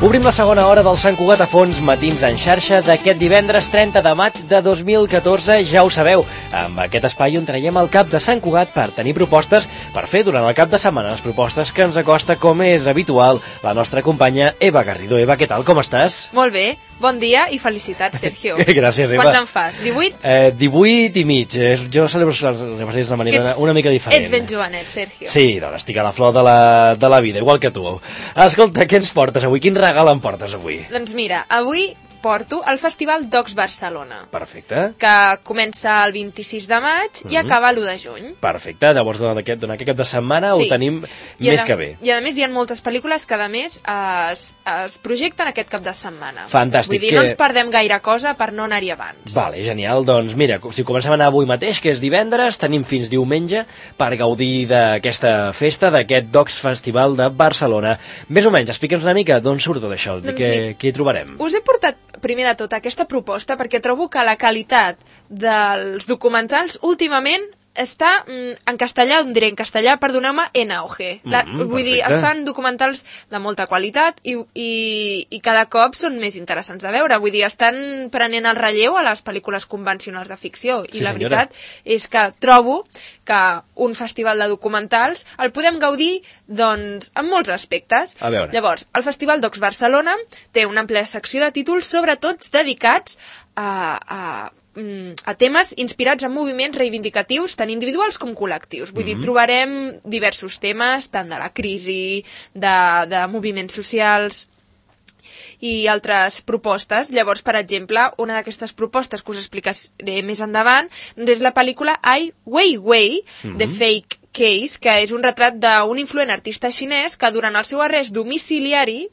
Obrim la segona hora del Sant Cugat a fons, matins en xarxa d'aquest divendres 30 de maig de 2014, ja ho sabeu. Amb aquest espai on traiem el cap de Sant Cugat per tenir propostes per fer durant el cap de setmana, les propostes que ens acosta, com és habitual, la nostra companya Eva Garrido. Eva, què tal, com estàs? Molt bé, bon dia i felicitats, Sergio. Gràcies, Eva. Quants en fas, 18? 18 i mig. Jo celebro les aniversaris d'una manera una mica diferent. Ets ben jovenet, Sergio. Sí, doncs estic a la flor de la vida, igual que tu. Escolta, què ens portes avui? Quin regal em portes avui? Doncs mira, avui porto el Festival Docs Barcelona. Perfecte. Que comença el 26 de maig i acaba l'1 de juny. Perfecte, llavors durant aquest cap de setmana ho tenim més que bé. I a més hi ha moltes pel·lícules que a més es projecten aquest cap de setmana. Fantàstic. Vull dir, no ens perdem gaire cosa per no anar-hi abans. Vale, genial. Doncs mira, si comencem a anar avui mateix, que és divendres, tenim fins diumenge per gaudir d'aquesta festa, d'aquest Docs Festival de Barcelona. Més o menys, explica'ns una mica d'on surt tot això, què hi trobarem. Us he portat primer de tot aquesta proposta perquè trobo que la qualitat dels documentals últimament està en castellà, diré en castellà, perdoneu-me, en auge. Vull dir, es fan documentals de molta qualitat i cada cop són més interessants de veure. Vull dir, estan prenent el relleu a les pel·lícules convencionals de ficció. I la veritat és que trobo que un festival de documentals el podem gaudir, doncs, en molts aspectes. Llavors, el Festival Docs Barcelona té una àmplia secció de títols, sobretot dedicats a temes inspirats en moviments reivindicatius tant individuals com col·lectius. Vull dir, trobarem diversos temes, tant de la crisi, de moviments socials i altres propostes. Llavors, per exemple, una d'aquestes propostes que us explicaré més endavant és la pel·lícula Ai Weiwei, The Fake Case, que és un retrat d'un influent artista xinès que durant el seu arrest domiciliari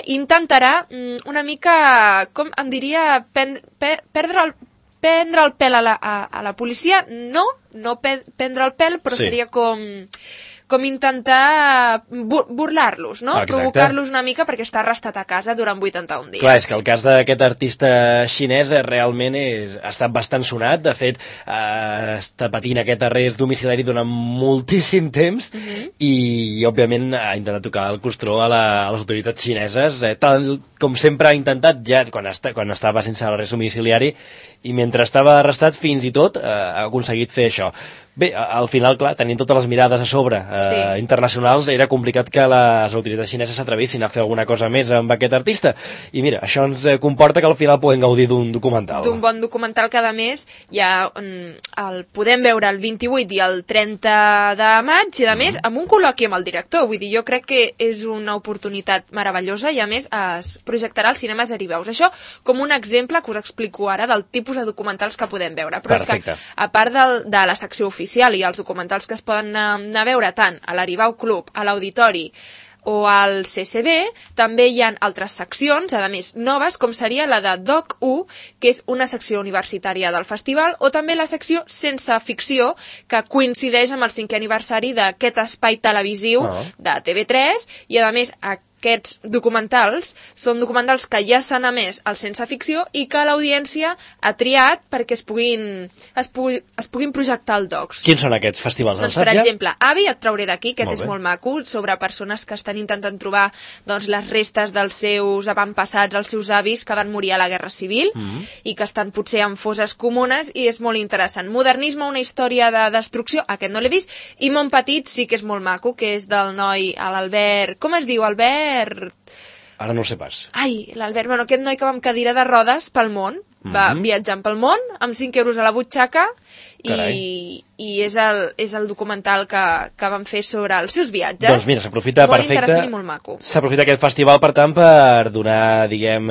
intentarà una mica, com em diria, prendre el pèl a la policia, no prendre el pèl, però seria com intentar burlar-los, no? Provocar-los una mica perquè està arrestat a casa durant 81 dies. Clar, és que el cas d'aquest artista xinès realment ha estat bastant sonat. De fet, està patint aquest arrest domiciliari durant moltíssim temps i, òbviament, ha intentat tocar el costró a les autoritats xineses, tal com sempre ha intentat ja quan estava sense l'arrest domiciliari, i mentre estava arrestat fins i tot ha aconseguit fer això. Bé, al final, clar, tenint totes les mirades a sobre internacionals, era complicat que les autoritats xineses s'atrevissin a fer alguna cosa més amb aquest artista. I mira, això ens comporta que al final podem gaudir d'un documental. D'un bon documental que, a més, ja el podem veure el 28 i el 30 de maig, i, a més, amb un col·loqui amb el director. Vull dir, jo crec que és una oportunitat meravellosa i, a més, es projectarà als cinemes Ariveus. Això com un exemple que us explico ara del tipus de documentals que podem veure. Però és que, a part de la secció oficial i els documentals que es poden anar a veure tant a l'Aribau Club, a l'Auditori o al CCB, també hi ha altres seccions, a més noves, com seria la de Doc1, que és una secció universitària del festival, o també la secció Sense Ficció, que coincideix amb el 5è aniversari d'aquest espai televisiu de TV3, i a més aquests documentals són documentals que ja s'han emès al Sense Ficció i que l'audiència ha triat perquè es puguin projectar al Docs. Quins són aquests festivals? Doncs, per exemple, Avi, et trauré d'aquí, aquest és molt maco, sobre persones que estan intentant trobar les restes dels seus avantpassats, els seus avis que van morir a la Guerra Civil i que estan potser en fosses comunes, i és molt interessant. Modernisme, una història de destrucció, aquest no l'he vist, i Mont Petit sí que és molt maco, que és del noi, l'Albert, com es diu, Albert? Ara no ho sé pas. Ai, l'Albert, aquest noi que va amb cadira de rodes pel món, va viatjant pel món amb 5 euros a la butxaca i és el documental que van fer sobre els seus viatges. Doncs mira, s'aprofita molt interessant i molt maco. S'aprofita aquest festival, per tant, per donar, diguem,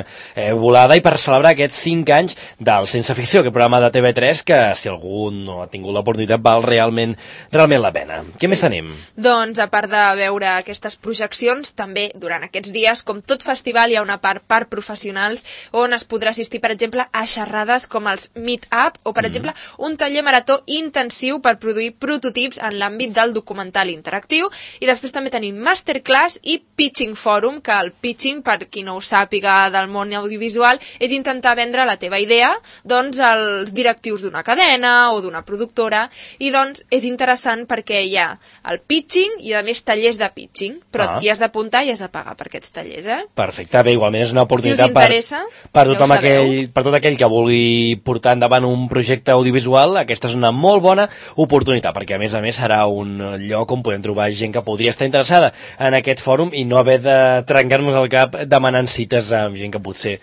volada i per celebrar aquests 5 anys del Sense Ficció, aquest programa de TV3 que, si algú no ha tingut l'oportunitat, val realment la pena. Què més tenim? Doncs, a part de veure aquestes projeccions, també durant aquests dies, com tot festival, hi ha una part per professionals on es podrà assistir, per exemple, a xerrades com els Meet Up o, per exemple, un taller taller marató intensiu per produir prototips en l'àmbit del documental interactiu, i després també tenim masterclass i pitching forum, que el pitching, per qui no ho sàpiga del món audiovisual, és intentar vendre la teva idea doncs als directius d'una cadena o d'una productora, i doncs és interessant perquè hi ha el pitching i a més tallers de pitching, però t'hi has d'apuntar i has de pagar per aquests tallers, Perfecte, bé, igualment és una oportunitat si us interessa, per tot aquell que vulgui portar endavant un projecte audiovisual. Aquesta és una molt bona oportunitat, perquè a més serà un lloc on podem trobar gent que podria estar interessada en aquest fòrum i no haver de trencar-nos el cap demanant cites amb gent que potser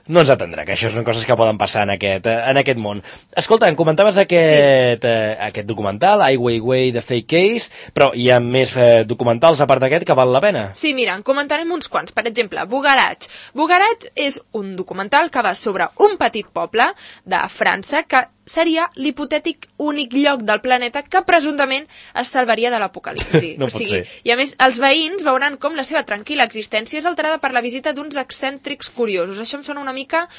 no ens atendrà, que això són coses que poden passar en aquest món. Escolta, em comentaves aquest documental, Ai Weiwei de Fake Case, però hi ha més documentals a part d'aquest que val la pena? Sí, mira, en comentarem uns quants. Per exemple, Bugaratx. Bugaratx és un documental que va sobre un petit poble de França que seria l'hipotètic únic lloc del planeta que presumptament es salvaria de l'apocalipsi. No pot ser. I a més, els veïns veuran com la seva tranquil·la existència és alterada per la visita d'uns excèntrics curiosos. Això em sona una mica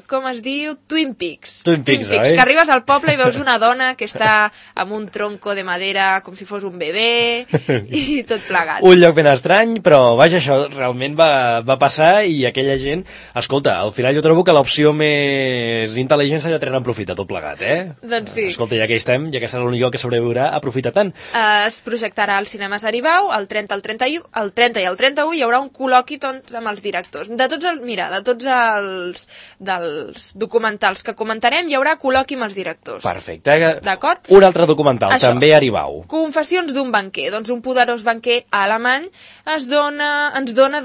com es diu? Twin Peaks. Twin Peaks, oi? Que arribes al poble i veus una dona que està amb un tronco de madera com si fos un bebè i tot plegat. Un lloc ben estrany, però vaja, això realment va passar i aquella gent... Escolta, al final jo trobo que l'opció més intel·ligent seria treure aprofita tot plegat, Doncs sí. Escolta, ja que hi estem, ja que serà l'únic lloc que sobreviurà, aprofita tant. Es projectarà al Cinemes Aribau el 30 i el 31 hi haurà un col·loqui doncs, amb els directors. De tots dels documentals que comentarem hi haurà col·loqui amb els directors. Perfecte. D'acord? Un altre documental, també a Aribau. Confessions d'un banquer. Doncs un poderós banquer alemany ens dona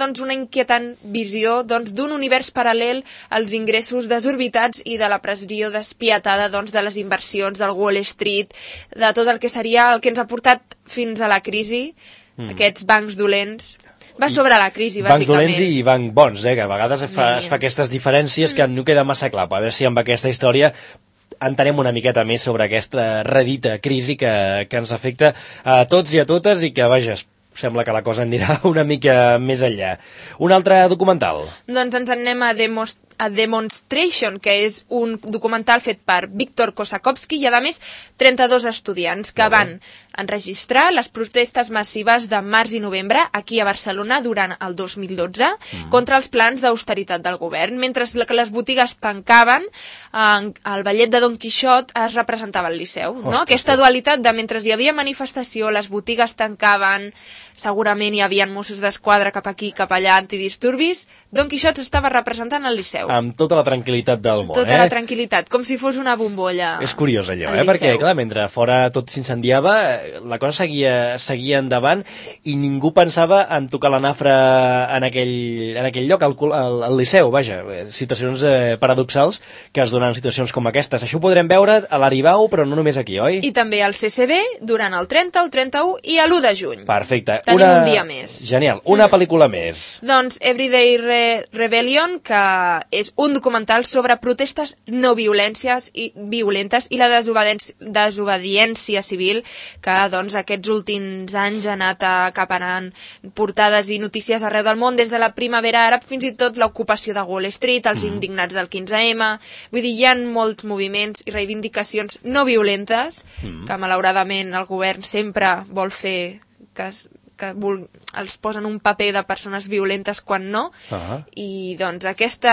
doncs, una inquietant visió doncs, d'un univers paral·lel als ingressos desorbitats i de la pressió despietada doncs, de les inversions del Wall Street, de tot el que seria el que ens ha portat fins a la crisi, aquests bancs dolents. Va sobre la crisi, bàsicament. Bancs dolents i bancs bons, que a vegades es fa aquestes diferències que no queda massa clar. A veure si amb aquesta història entenem una miqueta més sobre aquesta redita crisi que ens afecta a tots i a totes i que, vaja, sembla que la cosa anirà una mica més enllà. Un altre documental? Doncs ens en anem a Demonstration, que és un documental fet per Víctor Kosakowski i, a més, 32 estudiants que van enregistrar les protestes massives de març i novembre aquí a Barcelona durant el 2012 contra els plans d'austeritat del govern. Mentre que les botigues tancaven, el ballet de Don Quixot es representava al Liceu. No? Aquesta dualitat de mentre hi havia manifestació, les botigues tancaven, segurament hi havia Mossos d'Esquadra cap aquí, cap allà, antidisturbis, Don Quixot s'estava representant al Liceu. Amb tota la tranquil·litat del món, Tota la tranquil·litat, com si fos una bombolla. És curiós allò, perquè, clar, mentre fora tot s'incendiava, la cosa seguia endavant i ningú pensava en tocar la nafra en aquell lloc, al Liceu, vaja, situacions paradoxals que es donen situacions com aquestes. Això ho podrem veure a l'Aribau, però no només aquí, oi? I també al CCB durant el 30, el 31 i l'1 de juny. Perfecte. Tenim un dia més. Genial. Una pel·lícula més. Doncs Everyday Rebellion, que és un documental sobre protestes no violentes i la desobediència civil que doncs, aquests últims anys ha anat acaparant portades i notícies arreu del món, des de la primavera àrab fins i tot l'ocupació de Wall Street, els indignats del 15M. Vull dir, hi ha molts moviments i reivindicacions no violentes que malauradament el govern sempre vol fer que els posen un paper de persones violentes quan no, i doncs aquest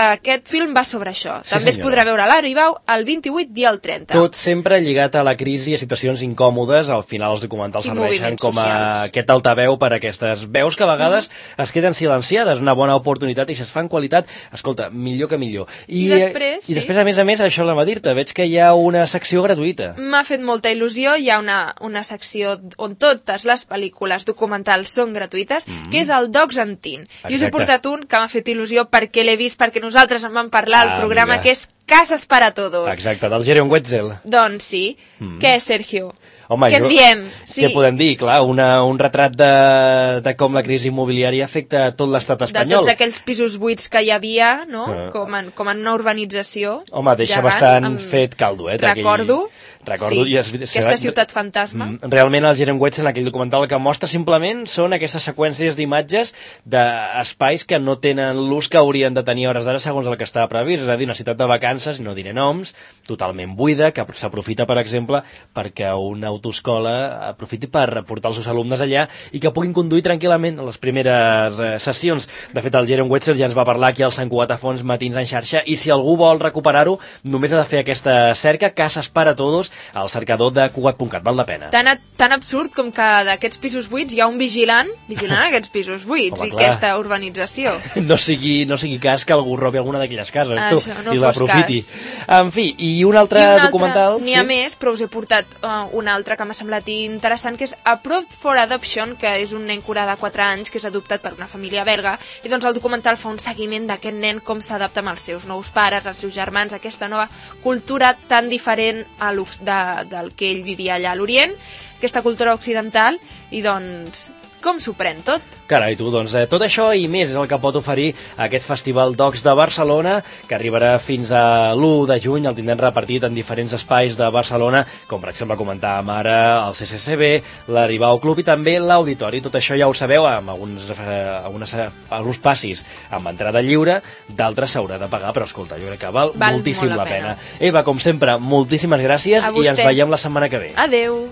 film va sobre això. També es podrà veure a l'Aribau el 28 i el 30. Tot sempre lligat a la crisi i a situacions incòmodes. Al final els documentals serveixen com aquest altaveu per a aquestes veus que a vegades es queden silenciades. Una bona oportunitat, i si es fa en qualitat, escolta, millor que millor. I després, a més, això anava a dir-te, veig que hi ha una secció gratuïta. M'ha fet molta il·lusió. Hi ha una secció on totes les pel·lícules documentals són gratuïtes, que és el Dogs and Teen. I us he portat un que m'ha fet il·lusió perquè l'he vist, perquè nosaltres en vam parlar al programa, que és Casas para Todos. Exacte, del Jeroen Wetzel. Doncs sí. Què, Sergio? Home, què en diem? Sí. Què podem dir? Clar, un retrat de com la crisi immobiliària afecta tot l'estat espanyol. De tots aquells pisos buits que hi havia, no? Com en una urbanització. Home, deixa bastant fet caldo, Recordo. Recordo, aquesta ciutat fantasma. Realment el Jerome Wetzel en aquell documental el que mostra simplement són aquestes seqüències d'imatges d'espais que no tenen l'ús que haurien de tenir a hores d'ara segons el que estava previst, és a dir, una ciutat de vacances, no diré noms, totalment buida, que s'aprofita, per exemple, perquè una autoescola aprofiti per portar els seus alumnes allà i que puguin conduir tranquil·lament a les primeres sessions. De fet, el Jerome Wetzel ja ens va parlar aquí al Sant Cugat a Fons Matins en xarxa, i si algú vol recuperar-ho, només ha de fer aquesta cerca, Casas para Todos, al cercador de Cugat.cat, val la pena. Tan absurd com que d'aquests pisos buits hi ha un vigilant aquests pisos buits. Home, i aquesta urbanització. No sigui cas que algú robi alguna d'aquelles cases, això, no i l'aprofiti. En fi, i un altre documental... N'hi ha més, però us he portat un altre que m'ha semblat interessant, que és Approved for Adoption, que és un nen curà de 4 anys que és adoptat per una família belga, i doncs el documental fa un seguiment d'aquest nen, com s'adapta amb els seus nous pares, els seus germans, aquesta nova cultura tan diferent del que ell vivia allà a l'Orient, aquesta cultura occidental, i doncs com s'ho pren tot? Carai, tu, doncs tot això i més és el que pot oferir aquest Festival Docs de Barcelona, que arribarà fins a l'1 de juny, el tindrem repartit en diferents espais de Barcelona, com per exemple comentàvem ara el CCCB, l'Aribau Club i també l'Auditori. Tot això ja ho sabeu, amb alguns passis amb entrada lliure, d'altres s'haurà de pagar, però escolta, jo crec que val moltíssim la pena. Eva, com sempre, moltíssimes gràcies i ens veiem la setmana que ve. Adeu!